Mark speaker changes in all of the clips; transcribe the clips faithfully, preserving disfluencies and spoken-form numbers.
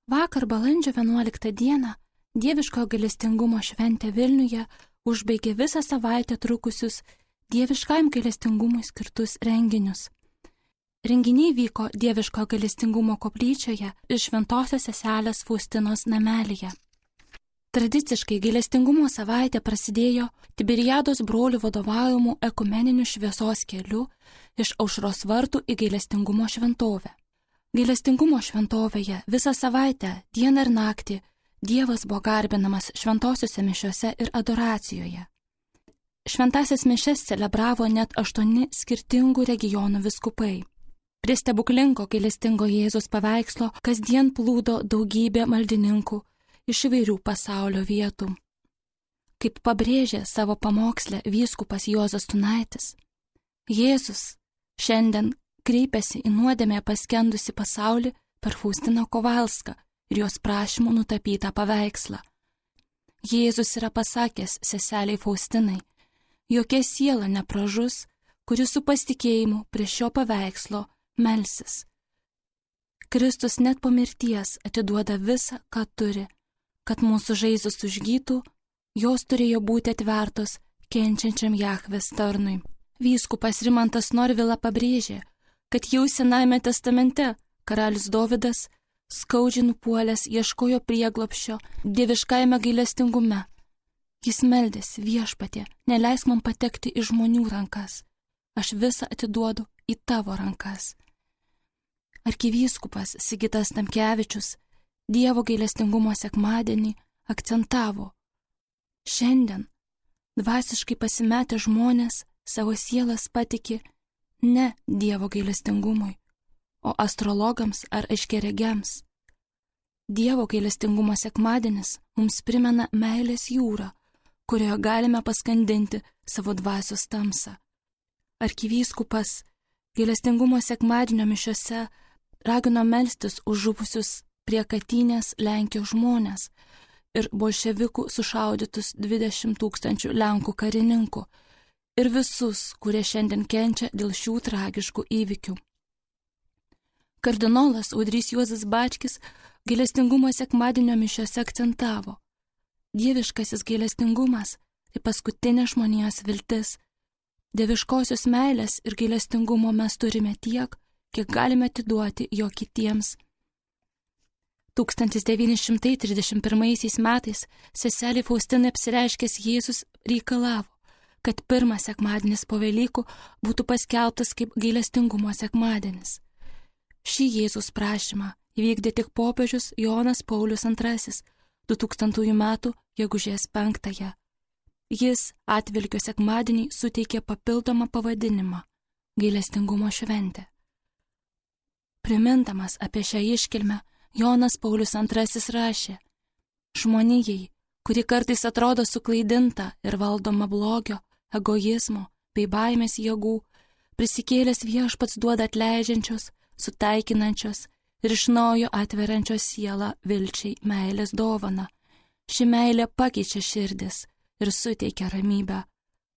Speaker 1: Vakar balandžio vienuoliktą dieną Dieviškojo gailestingumo šventė Vilniuje užbaigė visą savaitę trukusius Dieviškajam gailestingumui skirtus renginius. Renginiai vyko Dieviškojo gailestingumo koplyčioje ir Šventosios Seselės Faustinos namelyje. Tradiciškai gailestingumo savaitė prasidėjo Tiberiados brolių vadovaujamų ekumeninių šviesos keliu iš Aušros vartų į gailestingumo šventovę. Gailestingumo šventovėje visą savaitę, dieną ir naktį, Dievas buvo garbinamas šventosiuose mišiuose ir adoracijoje. Šventąsias mišias celebravo net aštuoni skirtingų regionų vyskupai. Prie stebuklingo gailestingo Jėzaus paveikslo kasdien plūdo daugybė maldininkų iš įvairių pasaulio vietų. Kaip pabrėžė savo pamoksle vyskupas Juozas Tunaitis, Jėzus šiandien kreipėsi į nuodėmę paskendusi pasaulį per Faustiną Kovalską ir jos prašymų nutapytą paveikslą. Jėzus yra pasakęs seseliai Faustinai, jokia siela nepražus, kuri su pasitikėjimu prie šio paveikslo melsis. Kristus net po mirties atiduoda visą, ką turi, kad mūsų žaizdos užgytų, jos turėjo būti atvertos kenčiančiam Jahvės tarnui. Vyskupas Rimantas Norvila pabrėžė, kad jau Senajame testamente karalius Dovydas skaudžiai nupuolęs ieškojo prieglobsčio dieviškajame gailestingume. Jis meldėsi: Viešpatie, neleisk man patekti į žmonių rankas, aš visą atiduodu į tavo rankas. Arkivyskupas Sigitas Tamkevičius Dievo gailestingumo sekmadienį akcentavo: šiandien dvasiškai pasimetę žmonės savo sielas patiki ne Dievo gailestingumui, o astrologams ar aiškiaregiams. Dievo gailestingumo sekmadienis mums primena meilės jūrą, kurioje galime paskandinti savo dvasios tamsą. Arkivyskupas gailestingumo sekmadienio mišiose ragino melstis už žuvusius prie Katynės Lenkijos žmonės ir bolševikų sušaudytus dvidešimt tūkstančių Lenkų karininkų ir visus, kurie šiandien kenčia dėl šių tragiškų įvykių. Kardinolas Audrys Juozas Bačkis gailestingumo sekmadienio mišiose akcentavo: dieviškasis gailestingumas tai paskutinė žmonijos viltis. Dieviškosios meilės ir gailestingumo mes turime tiek, kiek galime atiduoti jo kitiems. tūkstantis devyni šimtai trisdešimt pirmaisiais metais seselė Faustinai apsireiškęs Jėzus reikalavo, kad pirmas sekmadienis po Velykų būtų paskelbtas kaip gailestingumo sekmadienis. Šį Jėzus prašymą įvykdė tik popiežius Jonas Paulius antrasis du tūkstantųjų metų gegužės penktąją. Jis atvelykio sekmadienį suteikė papildomą pavadinimą – gailestingumo šventė. Primindamas apie šią iškilmę, Jonas Paulius antrasis rašė: žmonijai, kuri kartais atrodo suklaidinta ir valdoma blogio, egoizmo bei baimės jėgų, prisikėlęs Viešpats duoda atleidžiančios, sutaikinančios ir iš naujo atveriančios sielą vilčiai meilės dovaną. Ši meilė pakeičia širdis ir suteikia ramybę.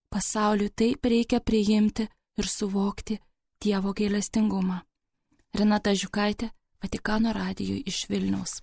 Speaker 1: Pasauliui taip reikia priimti ir suvokti Dievo gailestingumą. Renata Žiukaitė, Vatikano radijui iš Vilniaus.